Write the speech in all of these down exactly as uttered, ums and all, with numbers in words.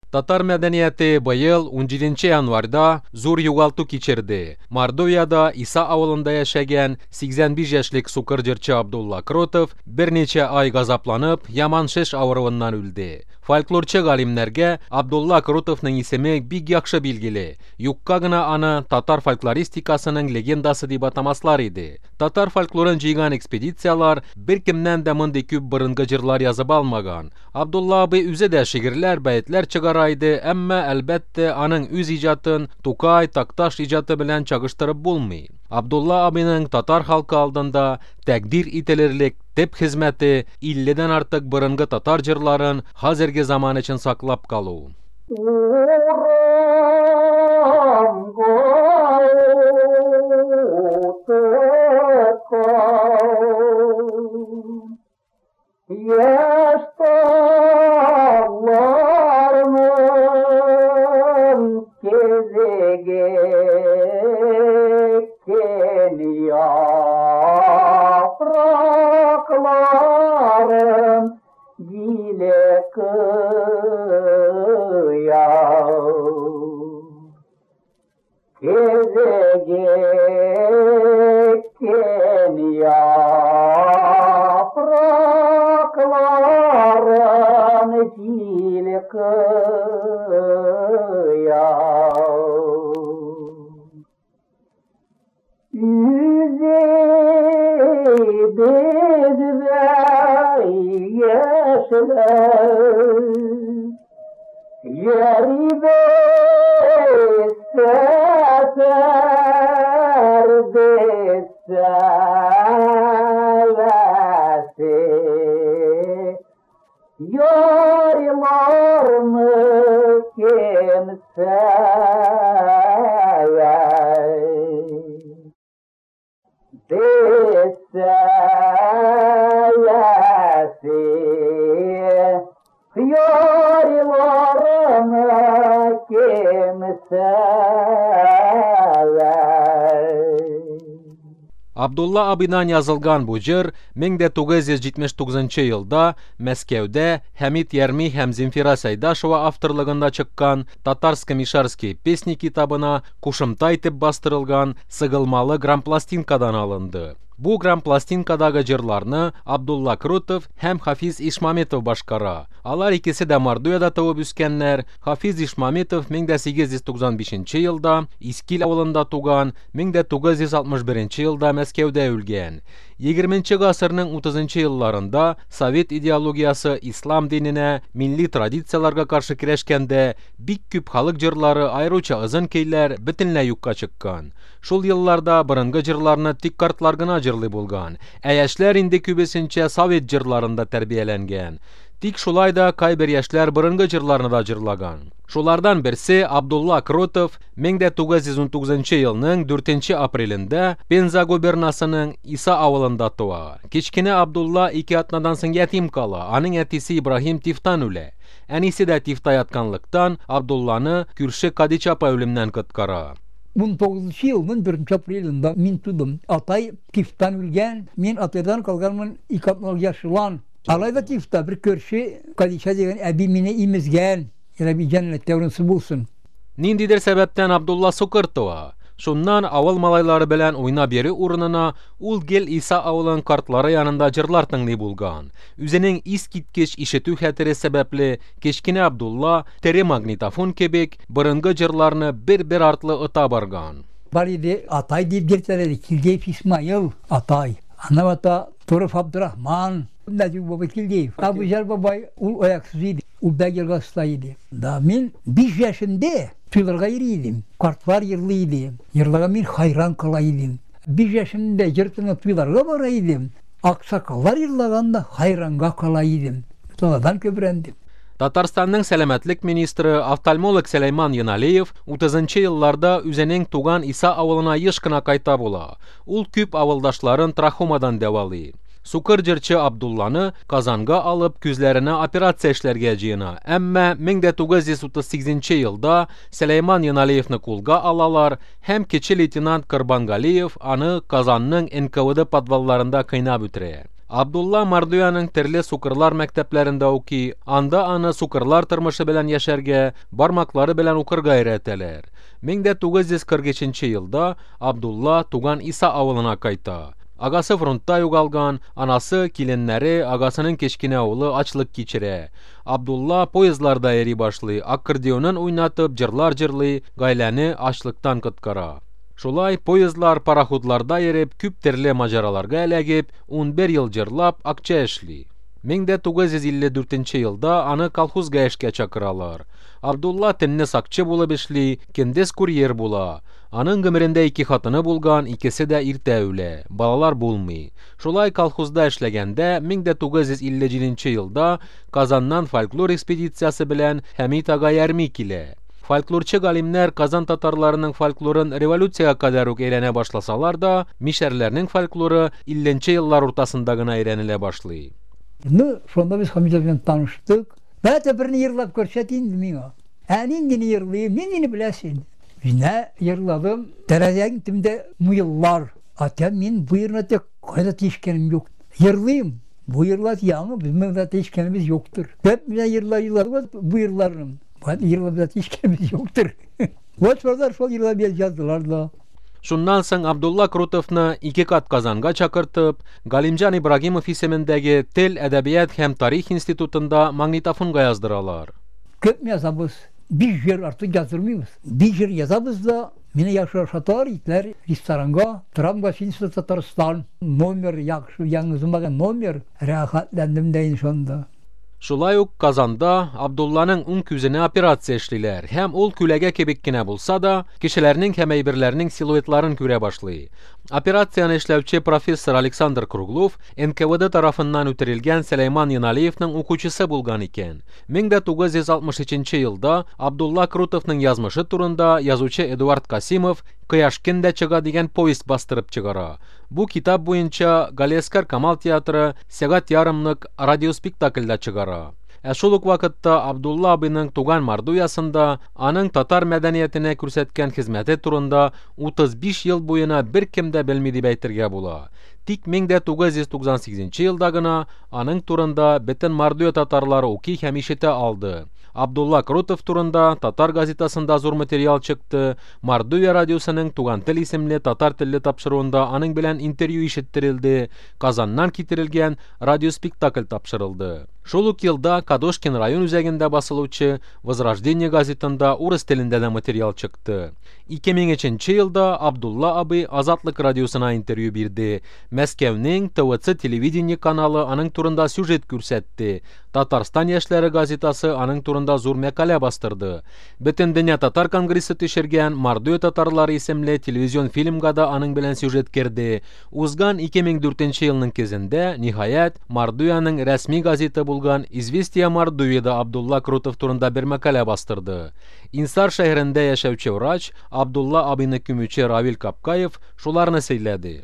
Татар мәдәнияте быел унҗиденче январьда зур югалту кичерде. Мордовияда Иса авылында яшәгән сиксән биш яшьлек сукыр җырчы Абдулла Кротов берничә ай газапланып, яман шеш авыруыннан үлде. Фольклорчы галимнәргә Абдулла Кротовның исеме бик яхшы билгеле. Юкка гына аны татар фольклористикасының легендасы дип атамаслар иде. Татар фольклорын җыйган экспедициялар беркемнән дә мондый күп борынгы җырлар язып алмаган. Абдулла абый үзе дә шигырьләр, бәетләр чыгара иде, әмма әлбәттә аның үз иҗатын Тукай, Такташ иҗаты белән чагыштырып булмый. Абдулла абыйның татар халкы алдында тәкъдир ителерлек төп хезмәте илледән артык борынгы татар җырларын хәзерге заман өчен саклап калу. Абдулла абыйдан язылган бу җыр мең дә тугыз йөз җитмеш тугызынчы елда Мәскәүдә Хәмит Ярми һәм Земфира Сәйдашева авторлыгында чыккан Татарско-мишарские песни китабына кушымта итеп бастырылган сыгылмалы грампластинкадан алынды. Бу грампластинкадагы җырларны Абдулла Кротов һәм Хафиз Ишмаметов башкара. Алар икесе дә Мордовияда туып үскәннәр. Хафиз Ишмаметов мең дә сигез йөз туксан бишенче елда Искил авылында туган, мең дә тугыз йөз алтмыш беренче елда Мәскәүдә үлгән. Егерменче гасырның утызынчы елларында совет идеологиясе ислам диненә, милли традицияларга каршы көрәшкәндә бик күп халык җырлары, аеруча озын көйләр бөтенләй юкка чыккан. Шул елларда борынгы җырларны тик картлар гына җырлый булган, ә яшьләр инде күбесенчә совет җырларында тәрбияләнгән. Тик шулай да кайбер яшьләр борынгы җырларны да җырлаган. Шулардан берсе Абдулла Кротов мең дә тугыз йөз унтугызынчы елның дүртенче апрелендә Пенза губернасының Иса авылында туа. Кечкенә Абдулла ике атнадан соң ятим кала. Аның әтисе Ибраһим тифтан үлә. Әнисе дә тифта ятканлыктан Абдулланы күрше Кадича апа үлемнән коткара. Ун тугызынчы елның беренче апрелендә мин тудым. Атай тифтан үлгән, мин атайдан калганмын ике атналык яшьлән. Алай да тифта бер күрше Кадича дигән әби мине имезгән. Рәби җәннәттә урынсы булсын. Ниндидер сәбәптән Абдулла сукыр туа. Шуннан авыл малайлары белән уйнап йөрү урынына ул гел Иса авылының картлары янында җырлар тыңлый булган. Үзенең искиткеч ишетү хәтере сәбәпле кечкенә Абдулла тере магнитофон кебек борынгы җырларны бер-бер артлы ота барган. Бар иде атай дип йөртәләр, Килдеев Исмаил атай. Аннан ата Туров Абдурахман, Нәҗип бабай Килдеев. Абуҗар бабай ул аяксыз иде. Ул бәк елгасында иде. Да мин биш яшемдә туйларга йөри идем. Картлар йырлый иде. Йырлаган мин хайран кала идем. Биш яшемдә җыр тыңлап туйларга бара идем. Аксакаллар йырлаганда хайранга кала идем. Таладан көбрәндем. Татарстанның сәламәтлек министры офтальмолог Сөләйман Яналиев утызынчы елларда үзенең туган Иса авылына еш кына кайта була. Ул күп авылдашларын трахомадан дәвалый. Сукыр җырчы Абдулланы Казанга алып күзләренә операция эшләргә җыена. Әмма мең дә тугыз йөз утыз сигезенче елда Сөләйман Яналиевны кулга алалар һәм кече лейтенант Корбангалиев аны Казанның Н К В Д подвалларында кыйнап үтерә. Абдулла Мордовиянең төрле сукырлар мәктәпләрендә укый, анда аны сукырлар тормышы белән яшәргә, бармаклары белән укырга өйрәтәләр. мең дә тугыз йөз кырык өченче елда Абдулла туган Иса авылына кайта. Агасы фронтта югалган, анасы, киленнәре, агасының кечкенә улы ачлык кичерә. Абдулла поездларда йөри башлый, аккордеонын уйнатып, җырлар җырлый, гаиләне ачлыктан коткара. Шулай поездлар, пароходларда йөреп, күп төрле маҗараларга эләгеп, унбер ел җырлап, акча эшли. мең дә тугыз йөз илле дүртенче елда аны колхозга эшкә чакыралар. Абдулла төнне сакчы булып эшли, көндез курьер була. Аның гомерендә ике хатыны булган, икесе дә иртә үлә, балалар булмый. Шулай колхозда эшләгәндә мең дә тугыз йөз илле җиденче елда Казаннан фольклор экспедициясе белән Хәмит ага Ярми килә. Фольклорчы галимнәр Казан татарларының фольклорын революциягә кадәр үк өйрәнә башласалар да, мишәрләрнең фольклоры илленче еллар уртасында гына өйрәнелә башлый. Ну, шунда без Хәмит белән таныштык. Бәтә берне йырлап күрсәт инде миңа. Ә ниндине йырлыйм, ниндине беләсең? Менә йырладым. Тәрәзәнең төбендә муеллар. Атам мин бу йырны тек кайда тишкәнем юк. Йырлыйм. Бу йырлар яңы, безнең дә тишкәнебез юктыр. Бәт менә йырлар йырлар, бу йырларым. Бу йырлар да тишкәнебез юктыр. Вот шулар шул йырлар яздылар да. Шуннан соң Абдулла Крутовны ике кат Казанга чакыртып, Галимҗан Ибрагимов исемендәге Тел, әдәбият һәм тарих институтында магнитофонга яздыралар. Күп язабыз, биш җыр артык яздырмыйбыз. Биш җыр язабыз да, мине яхшы ашаталар, итләр ресторанга, торам гостиница Татарстан, номер яхшы, яңгызмаган номер, рәхәтләндем дә инде шунда. Шулай ук Казанда Абдулланың уң күзенә операция эшлиләр һәм ул күләгә кебек кенә булса да, кешеләрнең һәм әйберләрнең силуэтларын күрә башлый. Операцияне эшләүче профессор Александр Круглов эн ка вэ дэ тарафыннан үтерелгән Сөләйман Яналиевның укучысы булган икән. мең дә тугыз йөз алтмыш өченче елда Абдулла Крутовның язмышы турында язучы Эдуард Касимов Кояш көн дә чыга дигән повесть бастырып чыгара. Бу китап буенча Галиәсгар Камал театры сәгать ярымлык радиоспектакльдә чыгара. Ә шул ук вакытта Абдулла абыйның туган Мордовиясында аның татар мәдәниятенә күрсәткән хезмәте турында утыз биш ел буена беркем дә белми дип әйтергә була. Тик мең дә тугыз йөз туксан сигезенче елда гына аның турында бөтен Мордовия татарлары укый һәм ишетә алды. Абдулла Крутов турында татар газетасында зур материал чыкты. Мордовия радиосының Туган тел исемле татар телле тапшыруында аның белән интервью ишеттерелде. Казаннан китерелгән радиоспектакль тапшырылды. Шул ук елда Кадошкин район үзәгендә басылучы Возрождение газетында урыс телендә дә материал чыкты. Ике мең өченче елда Абдулла абый Азатлык радиосына интервью бирде. Мәскәүнең тэ вэ цэ телевидение каналы аның турында сюжет күрсәтте. Татарстан яшьләре газетасы аның турында зур мәкалә бастырды. Бөтен дөнья татар конгрессы төшергән Мордовия татарлары исемле телевизион фильмга да аның белән сюжет керде. Узган ике мең дүртенче елның көзендә, ниһаять, Мордовиянең рәсми газеты булган Известия Мордовияда Абдулла Крутов турында бер мәкалә бастырды. Инсар шәһәрендә яшәүче врач Абдулла абыйны күмүче Равил Капкаев шуларны сөйләде.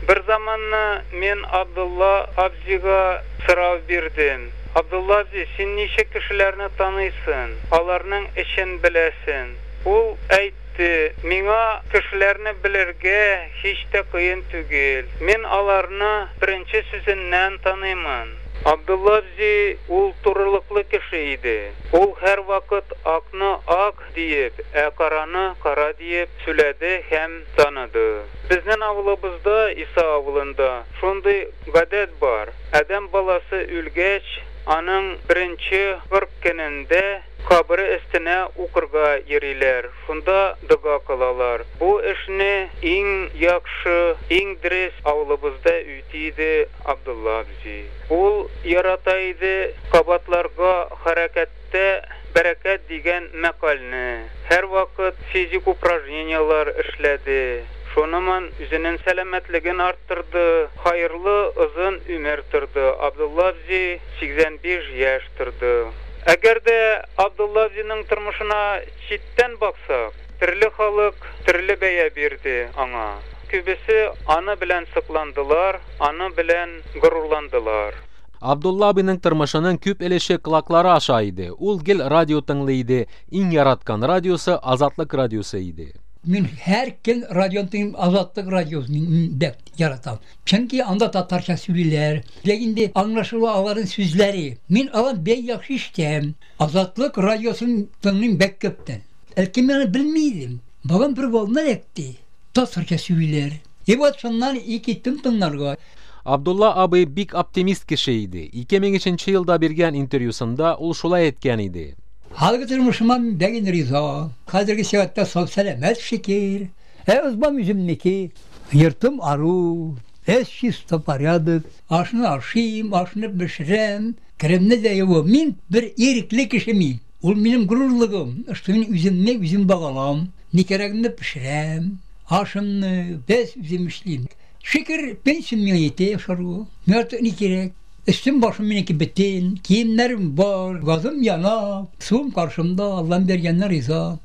Бер заманны мин Абдулла абзига сорау бирдем. Абдулла абзи, син ничә кешеләрне таныйсың? Аларның эшен беләсең. Ул әйтте, миңа кешеләрне белергә һич тә кыен түгел. Мин аларны беренче сүзеннән таныймын. Абдулла абзи ул турылыклы кеше иде. Ул һәр вакыт акны ак диеп, ә караны кара диеп сөйләде һәм таныды. Безнең авылыбызда, Иса авылында шундый гадәт бар. Адәм баласы үлгәч, аның беренче кырык көнендә кабере өстенә укырга йөриләр, шунда дога кылалар. Бу эшне иң яхшы, иң дөрес авылыбызда үти иде Абдулла абзи. Ул ярата иде кабатларга хәрәкәттә бәрәкәт дигән мәкальне. Һәр вакыт физик упражнениялар эшләде. Шуныман үзенең сәламәтлеген арттырды, хайырлы озын өмер торды. Абдулла абзи сиксән биш яшь торды. Әгәр дә Абдулла абзиның тормышына читтән баксак, төрле халык төрле бәя бирде аңа. Күбесе аны белән сокландылар, аны белән горурландылар. Абдулла абыйның тормышының күп өлеше колаклары аша иде. Ул гел радио тыңлый иде. Иң яраткан радиосы Азатлык радиосы иде. Мин һәр көн радионы тыңлыйм, Азатлык радиосын бик яратам. Чөнки анда татарча сөйлиләр. Ләкин инде аңлашыла аларның сүзләре. Мин алар бик яхшы ишетәм. Азатлык радиосын тыңлыйм бик күптән. Әлки мин аны белми идем. Балам бер волна эләкте. Татарча сөйлиләр. И вот шуннан и киттем тыңларга. Абдулла абый бик оптимист кеше иде. ике мең өченче елда биргән интервьюсында ул шулай әйткән иде. Хәзерге тормышыма мин бик риза. Хәзерге сәгатьтә сау сәламәт, шөкер. Ә избам үземнеке. Йортым ару. Эш чисто, порядок. Ашны ашыйм, ашны пешерәм. Керемне дә юам. Мин бер ирекле кеше мин. Ул минем горурлыгым. Что мин үземне үзем багалам. Ни кирәгемне пешерәм. Ашымны без үзем эшлим. Шөкер, пенсиям миңа җитә ашарга. Миңа артык ни кирәк? Өстем башым минеке бөтен, киемнәрем бар, газым яна, суым каршымда, Аллам биргәннәр риза.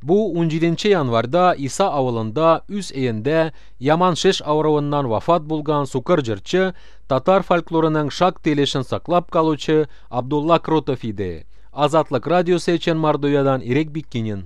Бу унҗиденче январьда Иса авылында үз өендә яман шеш авыруыннан вафат булган сукыр җырчы, татар фольклорының шактый өлешен саклап калучы Абдулла Кротов иде. Азатлык радиосы өчен Мордовиядан Ирек Биккинин.